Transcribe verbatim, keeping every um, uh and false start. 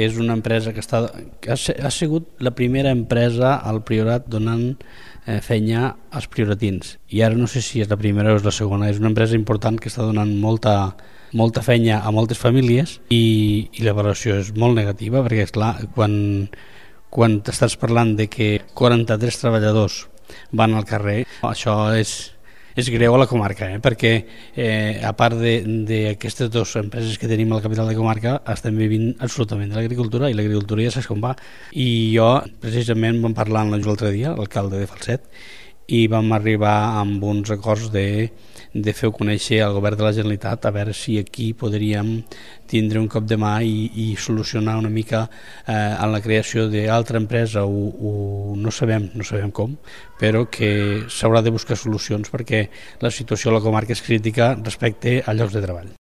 És una empresa que, està, que ha sigut la primera empresa al Priorat donant eh, feina als prioratins, i ara no sé si és la primera o és la segona. És una empresa important que està donant molta, molta feina a moltes famílies, i, i la valoració és molt negativa, perquè esclar, quan, quan estàs parlant de que quaranta-tres treballadors van al carrer, això és és greu a la comarca, eh? perquè eh, a part d'aquestes dues empreses que tenim a la capital de comarca, estem vivint absolutament de l'agricultura, i l'agricultura ja saps com va. I jo precisament vam parlar amb l'altre dia, l'alcalde de Falset, i vam arribar amb uns acords de, de fer conèixer al govern de la Generalitat, a veure si aquí podríem tindre un cop de mà i, i solucionar una mica eh, en la creació d'altra empresa, o, o no sabem, no sabem com, però que s'haurà de buscar solucions, perquè la situació a la comarca és crítica respecte a llocs de treball.